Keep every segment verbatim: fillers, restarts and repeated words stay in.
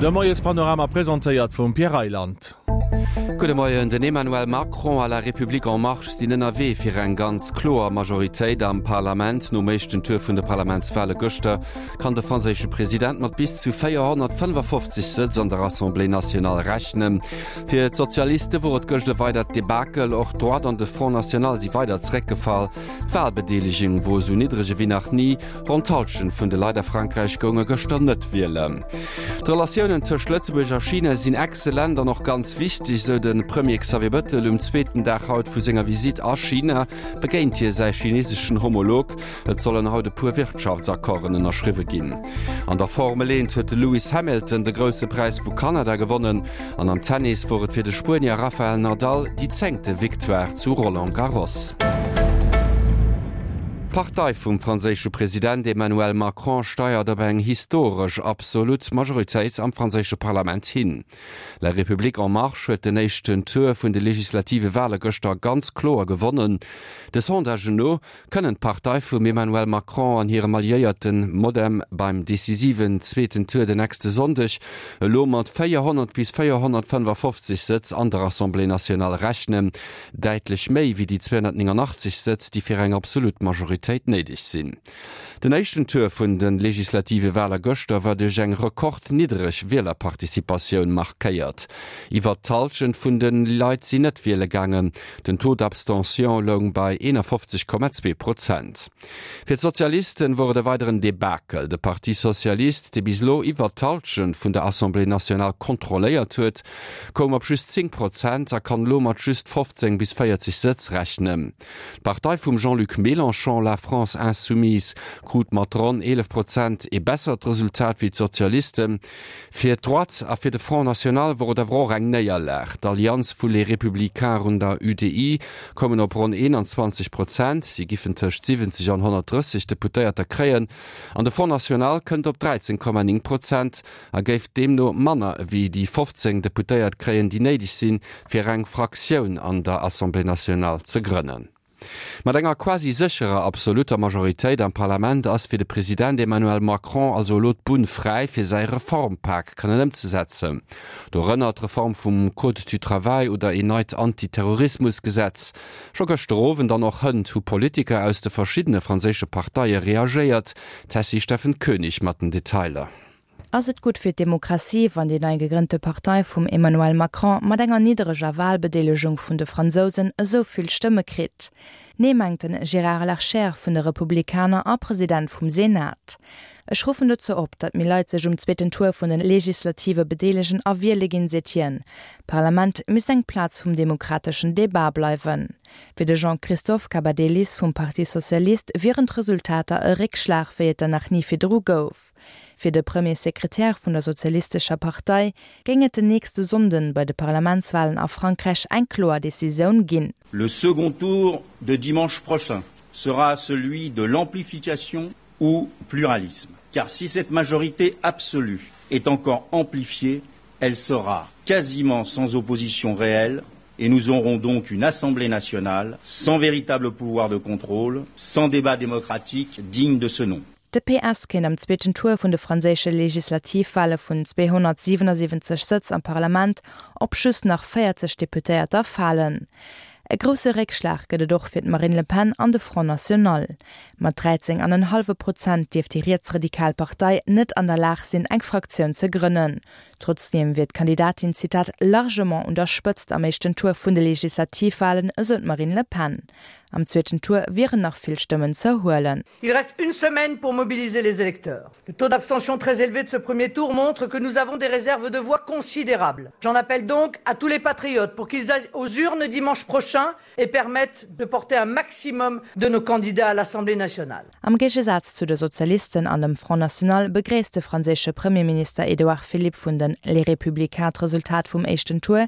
De Moiespanorama presentéiert vum Pierre Reyland. Gudde Moien, Den Emmanuel Macron a La République en Marche sinn ënnerwee fir eng ganz kloer Majoritéit am Parlament. Nom éischten Tour vun de Parlamentswale gëschter kann de franséische President mat bis zu véierhonnertfënnefafofzeg Sëtz an der Assemblée nationale rechnen. Fir d'Sozialiste wor et gëscht e weidert Debakel, och d'Droite an de Front National si weider zeréckgefall. D'Walbedeelegung wor esou niddreg ewéi nach ni, ronn d'Hallschent vun de Leit a Frankräich gounge gëschter net wielen. D'Relatiounen tëscht Lëtzebuerg a China sinn excellent an och ganz wichteg, sou de Premier Xavier Bettel. Um zweeten Dag haut vu senger Visitt a China begéint hie säi chineseschen Homolog. Et sollen haut e puer Wirtschaftsaccorden ënnerschriwwe ginn. An der Formel eent huet de Lewis Hamilton de Grousse Präis vu Kanada gewonnen an am Tennis wor et fir de Spuenier Rafael Nadal déi zéngte Victoire zu Roland Garros. D'Partei vum franséische President Emmanuel Macron steiert op eng historesch absolut Majoritéit am franséische Parlament hin. La République en Marche huet den éischten Tour vun de legislative Wale gëschter ganz kloer gewonnen. De Sondagen no kënnen d'Partei vum Emmanuel Macron an hirem Alliéierten Modem beim decisiven zweeten Tour den nächste Sonndeg elo mat véierhonnert bis véierhonnertfënnefafofzeg Sëtz an der Assemblée nationale rechnen, däitlech méi wéi déi zweehonnertnéngangachtzeg Sëtz, déi fir eng absolut Majoritéit néideg sinn. Den éischten Tour vun de legislative Waler gëschter war duerch eng rekordniddereg Wielerparticipatioun markéiert. Iwwert d'Hallschent vun de Leit sinn net wiele gaangen. Den Taux d'abstention loung bei eenafofzeg Komma zwee Prozent. Fir d'Sozialisten wor et e weideren Debakel. De Parti Socialiste, dee bis elo iwwert d'Hallschent vun der Assemblée nationale kontrolléiert huet, koum op just zéng Prozent a kann elo mat just fofzéng bis véierzeg Sëtz rechnen. D'Partei vum Jean-Luc Mélenchon, La France Insoumise, krut mat ronn eelef Prozent ee bessert Resultat wéi d'Sozialisten. Fir d'Droite a fir de Front National wor et awer och eng Néierlag. D'Allianz vu Les Républicains un der U D I koumen op ronn eenanzwanzeg Prozent, si giffen tëscht siwwenzeg an honnertdrësseg Deputéierter kréien, an de Front National kënnt op dräizéng Komma néng Prozent a géif deemno manner ewéi déi fofzéng Deputéiert kréien, déi néideg sinn, fir eng Fraktioun an der Assemblée nationale ze grënnen. Mat enger quasi sécherer absolutter Majoritéit am Parlament ass fir de President Emmanuel Macron also elo d'Bunn fräi fir säi Reformpak kënnen ëmzesetzen. Dorënner d'Reform vum Code du travail oder een neit Antiterrorismusgesetz. Scho gëschter Owend an och hënt hu Politiker aus de verschiddene franséische Parteie reagéiert. D'Tessy Steffen Koenig mat den Detailer. Ass et gutt fir d'Demokratie, wann déi nei gegrënnte Partei vum Emmanuel Macron mat enger niddereger Walbedeelegung vun de Fransousen esou vill Stëmme kritt? Nee, mengt den Gérard Larcher vun de Republikaner a President vum Senat. Ech ruffen dozou op, datt méi Leit sech um zweeten Tour vun den Legislative bedeelegen a wiele ginn, seet hien. D'Parlament misst eng Plaz vum demokrateschen Debat bleiwen. Fir de Jean-Christophe Cambadélis vum Parti Socialiste wieren d'Resultater e Réckschlag wéi et der nach ni virdru gouf. Fir de Premier Sekretär vun der Sozialistescher Partei géing et den nächste Sonnden bei de Parlamentswalen a Frankräich eng kloer Decisioun ginn. Le second tour de dimanche prochain sera celui de l'amplification ou pluralisme. Car si cette majorité absolue est encore amplifiée, elle sera quasiment sans opposition réelle et nous aurons donc une Assemblée nationale sans véritable pouvoir de contrôle, sans débat démocratique digne de ce nom. De P S kéint am zweeten Tour vun de franséische Legislativwale vun zweehonnertsiwenesiwwenzeg Sëtz am Parlament op just nach véierzeg Deputéierter falen. E grousse Réckschlag gëtt et och fir d'Marine Le Pen an de Front National. Mat dräizéng an en hallwe Prozent dierft déi rietsradikal Partei net an der Lag sinn, eng Fraktioun ze grënnen. Trotzdeem wier d'Kandidatin, Zitat, largement un der Spëtzt am éischten Tour vun de Legislativwalen, esou d'Marine Le Pen. Am zweeten Tour wieren nach vill Stëmmen ze huelen. Il reste une semaine pour mobiliser les électeurs. Le taux d'abstention très élevé de ce premier tour montre que nous avons des réserves de voix considérables. J'en appelle donc à tous les patriotes pour qu'ils aillent aux urnes dimanche prochain et permettent de porter un maximum de nos candidats à l'Assemblée nationale. Am Géigesaz zu de Sozialisten an dem Front National begréisst de franséische Premierminister Edouard Philippe vun den Les Républicains d'Resultat vum éischten Tour,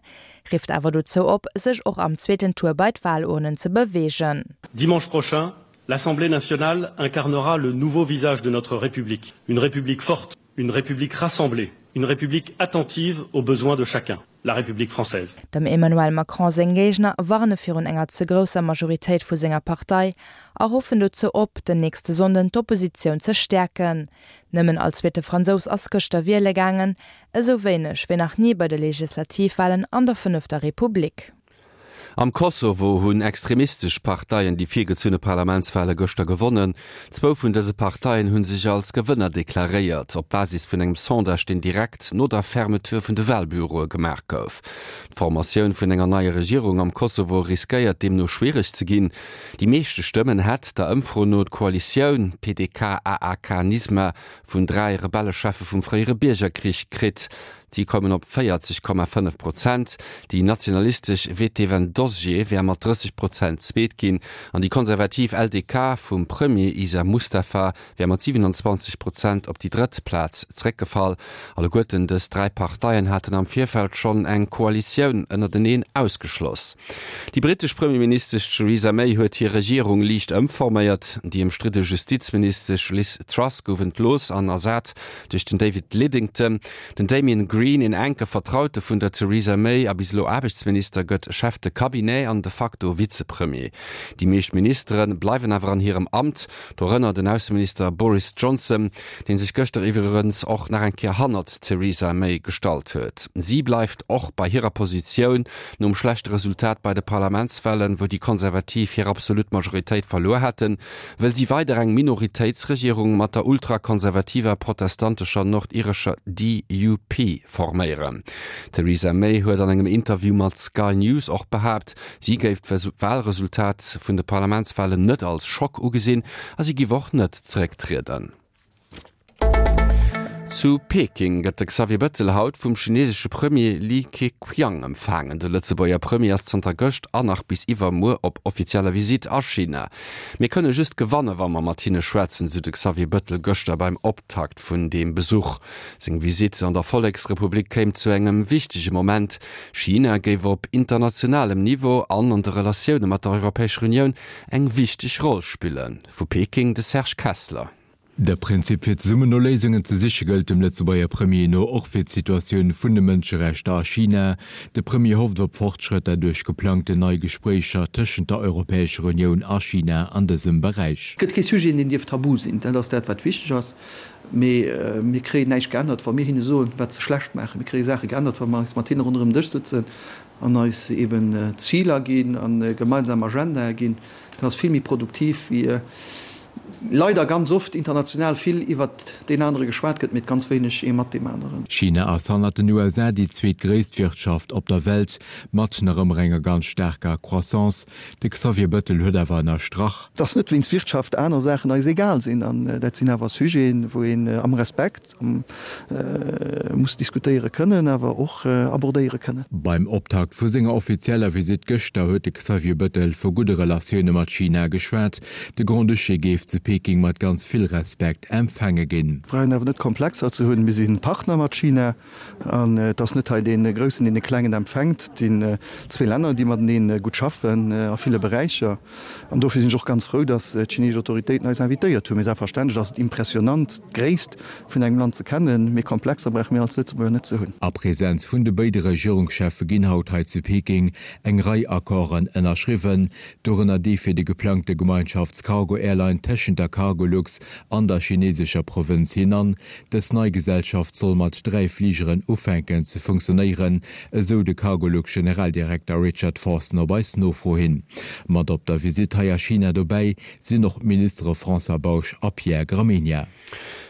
rifft awer dozou op, sech och am zweeten Tour bei d'Walurnen ze beweegen. Dimanche prochain, l'Assemblée nationale incarnera le nouveau visage de notre République. Une République forte, une République rassemblée, une République attentive aux besoins de chacun. la République française. Dem Emmanuel Macron seng Géigner warne virun enger ze grousser Majoritéit vu senger Partei a ruffen dozou op, den nächste Sonnden d'Oppositioun ze stäerken. Nëmmen all zweete Fransous ass gëschter wiele gaangen, esou wéineg wéi nach ni bei de Legislativwalen an der fënnefter Republik. Am Kosovo hunn extremistesch Parteien déi virgezunne Parlamentswale gëschter gewonnen. Zwou vun dëse Parteien hu sech als Gewënner deklaréiert, op Basis vun engem Sondage, deen direkt no der Fermeture vun de Walbüroe gemaach gouf. D'Formatioun vun enger neier Regierung am Kosovo riskéiert deemno schwiereg ze ginn. Déi meeschte Stëmmen hätt der Ëmfro no d'Koalitioun P D K A A K Nisma vun dräi Rebellecheffe vum fréiere Biergerkrich kritt. Si kommen op véierzeg Komma fënnef Prozent. Déi nationalistesch Vetevendosje wär mat drësseg Prozent Zweet ginn an déi konservativ L D K vum Premier Isa Mustafa wär mat siwenanzwanzeg Prozent op déi drëtt Plaz zeréckgefall. Alleguerten dës dräi Parteien haten am Virfeld schonn eng Koalitioun ënnerteneen ausgeschloss. Déi brittesch Premierministesch Theresa May huet hir Regierung liicht ëmforméiert. Déi ëmstridde Justizministesch Liz Truss gouf entlooss an ersat duerch den David Lidington. Den Damian Green, een enke Vertraute vun der Theresa May a bis elo Aarbechtsminister, gëtt Chef de Cabinet an de facto Vizepremier. Déi meescht Ministere bleiwen awer an hirem Amt, dorënner den Ausseminister Boris Johnson, dee sech gëschter iwwregens och nach eng Kéier hannert d'Theresa May gestallt huet. Si bleift och bei hirer Positioun nom schlechte Resultat bei de Parlamentswalen, wou déi Konservativ hir absolut Majoritéit verluer haten, wëll si weider eng Minoritéitsregierung mat der ultrakonservativer protestantescher nordirescher D U P forméieren. D'Theresa May huet an engem Interview mat Sky News och behaapt, si géif d'Walresultat vun de Parlamentswalen net als Schock ugesinn a si géif och net zerécktrieden. Zu Peking gëtt de Xavier Bëttel haut vum chinesesche Premier Li Keqiang empfaangen. De Lëtzebuerger Premier ass zanter gëscht an nach bis iwwermuer op offizieller Visitt a China. Mir kënne just gewannen, wa mer mat hinne schwätzen, sou de Xavier Bëttel gëschter beim Optakt vun deem Besuch. Seng Visitt an der Volleksrepublik kéim zu engem wichtege Moment. China géif op internationalem Niveau an an de Relatioune mat der Europäescher Unioun eng wichteg Roll spillen. Vu Peking de Serge Kessler. De Prinzip fir zesummen no Léisungen ze siche gëllt dem Lëtzebuerger Premier no och fir d'Situatioun vun de Mënscherechter a China. De Premier hofft op Fortschrëtter duerch geplangten nei Gespréicher tëschent der Europäescher Unioun a China an dësem Beräich. Et gëtt kee Sujet, deen dierf tabu sinn, dat ass dat wat wichteg ass. Mee mir kréien näischt geännert, wa mir hinne soen, wat se schlecht maachen. Mir kréie Saache geännert, wa mer eis mat hinne ronderëm Dësch sëtzen an eis eben Ziler ginn an gemeinsam Agendae ginn. Dat ass vill méi produktiv wéi leider ganz oft international vill iwwert deen anere geschwat gëtt, mee ganz wéineg ee mat deem aneren. China ass hannert den U S A déi zweetgréisst Wirtschaft op der Welt, mat nach ëmmer enger ganz staarker Croissance. De Xavier Bëttel huet awer ënnerstrach. Et ass net wéinst Wirtschaft aner Saachen eis egal sinn an dat sinn awer Sujeten, wou een am Respekt muss diskutéiere kënnen, awer och abordéiere kënnen. Beim Optakt vu senger offizieller Visitt gëschter huet de Xavier Bëttel vu gudde Relatioune mat China geschwat. De Grand-Duché géif zu Peking mat ganz vill Respekt empfaange ginn. Brauchen awer net Komplexer ze hunn. Mir si Partner mat China an et ass net hei dee Groussen, deen de Klengen empfänkt. Et sinn zwee Länner, déi matenee gutt schaffen a ville Beräicher. An dofir sinn ech och ganz frou, datt d'chineesesch Autoritéiten eis invitéiert hunn. Mee selbstverständlech ass et impressionant, d'Gréisst vun engem Land ze kennen, mee Komplexer brauche mir als Lëtzebuerger net ze hunn. A Presenz vun de béide Regierungscheffe ginn haut hei zu Peking eng Rei Accorden ënnerschriwwen, dorënner dee fir déi geplangte Gemeinschafts-Cargo-Airline tëschent der Cargolux an der chinesescher Provënz Henan. Dës nei Gesellschaft soll mat dräi Fligeren ufänken ze funktionéieren, esou de Cargolux-Generaldirekter Richard Forson op eis Nofro hin. Mat op der Visitt hei a China dobäi sinn och d'Ministere François Bausch a Pierre Gramegna.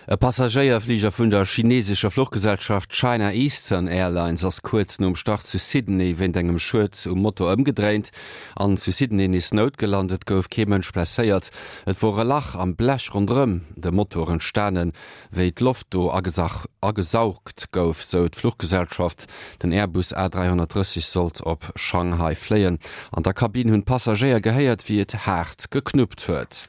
E Passagéierfliger vun der chinesescher Fluchgesellschaft China Eastern Airlines ass kuerz nom Start zu Sydney wéint engem Schued um Motor ëmgedréint an zu Sydney nees noutgelant. Et gouf kee Mënsch blesséiert. Et wor e Lach am Blech ronderëm de Motor entstanen, wéi d'Loft do agesaugt gouf, sou d'Fluchgesellschaft. Den Airbus A dräihonnertdrësseg sollt op Shanghai fléien. An der Kabinn hunn d'Passagéier gehéiert, wéi et haart geknuppt huet.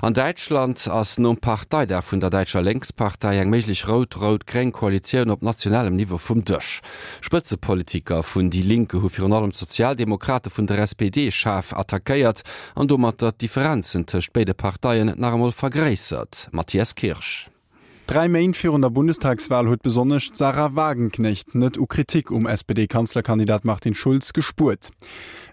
An Däitschland ass nom Parteidag vun der däitscher Lénkspartei eng méiglech rout-rout-gréng Koalitioun op nationalem Niveau vum Dësch. Spëtzepolitiker vun Die Linke hu virun allem d'Sozialdemokrate vun der S P D schaarf attackéiert an domatter d'Differenzen tëscht béide Parteien nach emol vergréissert. Matthias Kirsch. Dräi Méint virun der Bundestagswal huet besonnesch d'Sahra Wagenknecht net u Kritik um S P D-Kanzlerkandidat Martin Schulz gespuert.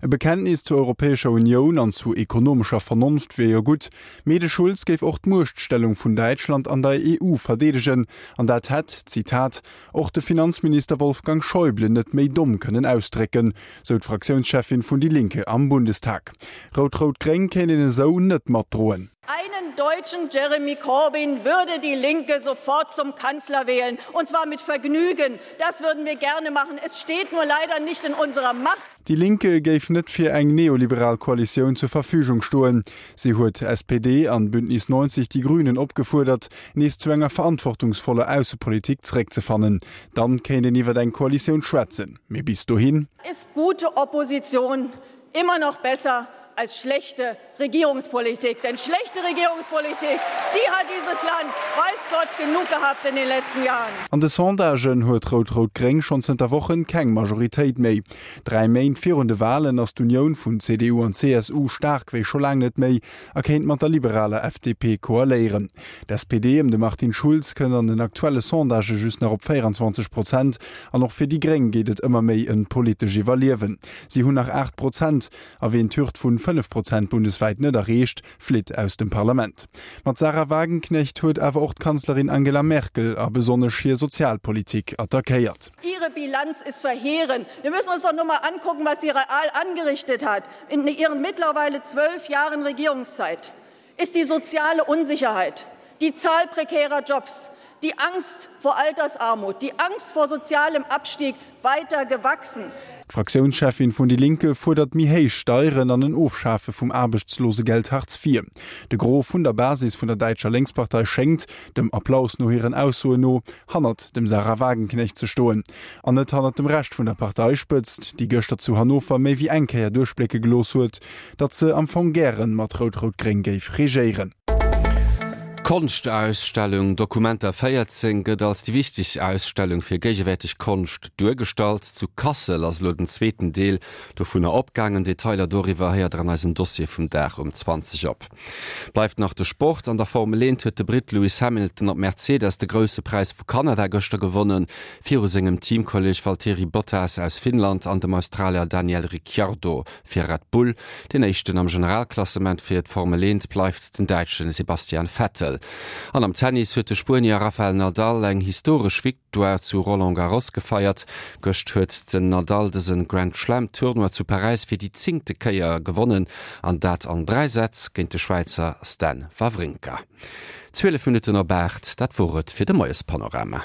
E Bekenntnis zur Europäescher Unioun an zu ekonomescher Vernonft wier jo gutt, mee de Schulz géif och d'Muechtstellung vun Däitschland an der E U verdeedegen an dat hätt, Zitat, och de Finanzminister Wolfgang Schäuble net méi domm kënnen ausdrécken, sou d'Fraktiounscheffin vun Die Linke am Bundestag. Rout-Rout-Gréng kéint een esou net matdroen. Einen deutschen Jeremy Corbyn würde die Linke sofort zum Kanzler wählen, und zwar mit Vergnügen. Das würden wir gerne machen. Es steht nur leider nicht in unserer Macht. Die Linke géif net fir eng neoliberal Koalitioun zur Verfügung stoen. Si huet S P D an Bündnis neunzeg Die Grünen opgefuerdert, nees zu enger verantwortungsvoller Aussepolitik zeréckzefannen. Dann kéint een iwwer eng Koalitioun schwätzen. Mee bis dohin? Ist gute Opposition immer noch besser als schlechte Regierungspolitik. Denn schlechte Regierungspolitik, die hat dieses Land, weiß Gott, genug gehabt in den letzten Jahren. An de Sondagen huet Rout-Rout-Gréng schonn zënter Wochen keng Majoritéit méi. Dräi Méint virun de Walen ass d'Unioun vun C D U an C S U staark wéi scho laang net méi a kéint mat der liberaler F D P koaléieren. D'S P D ëm de Martin Schulz kënnt an den aktuelle Sondagë just nach op véierenzwanzeg Prozent an och fir déi Gréng geet et ëmmer méi ëm d'politescht Iwwerliewen. Si hunn nach aacht Prozent a wien d'Hürd vun fënnef Prozent bundeswäit net erreecht, flitt aus dem Parlament. Mat Sahra Wagenknecht huet awer och d'Kanzlerin Angela Merkel a besonnesch hir Sozialpolitik attackéiert. Ihre Bilanz ist verheerend. Wir müssen uns doch nur mal angucken, was sie real angerichtet hat in ihren mittlerweile zwölf Jahren Regierungszeit. Ist die soziale Unsicherheit, die Zahl prekärer Jobs, die Angst vor Altersarmut, die Angst vor sozialem Abstieg weiter gewachsen. D'Fraktiounscheffin vun Die Linke fuerdert méi héich Steieren an en Ofschafe vum Aarbechtslosegeld Hartz vier. De Gros vun der Basis vun der däitscher Lénkspartei schéngt, dem Applaus no hiren Aussoen no, hannert dem Sahra Wagenknecht ze stoen. An net hannert dem Rescht vun der Parteispëtzt, déi gëschter zu Hannover méi wéi eng Kéier duerchblécke gelooss huet, datt se am Fong gären mat Rout-Rout-Gréng géif regéieren. D'Konschtausstellung Documenta véierzéng gëtt als déi wichtegst Ausstellung fir géigewäerteg Konscht duergestallt. Zu Kassel ass elo den zweeten Deel dovunner opgaangen. Detailer doriwwer héiert der an eisem Dossier vum Dag um zwanzeg op. Bleift nach de Sport. An der Formel eent huet de Britt Lewis Hamilton op Mercedes de Grousse Präis vu Kanada gëschter gewonnen, viru sengem Teamkolleeg Valtteri Bottas aus Finnland an dem Australier Daniel Ricciardo fir Red Bull. Den éischten am Generalklassement fir d'Formel eent bleift den Däitsche Sebastian Vettel. An am Tennis huet de Spuenier Rafael Nadal eng historesch Victoire zu Roland Garros gefeiert. Gëscht huet den Nadal dëse Grand Slam Tournoi zu Paräis fir déi zéngte Kéier gewonnen an dat an dräi Sätz géint de Schwäizer Stan Wawrinka. Zwielef Minutten op aacht, dat wor et fir de Moiespanorama.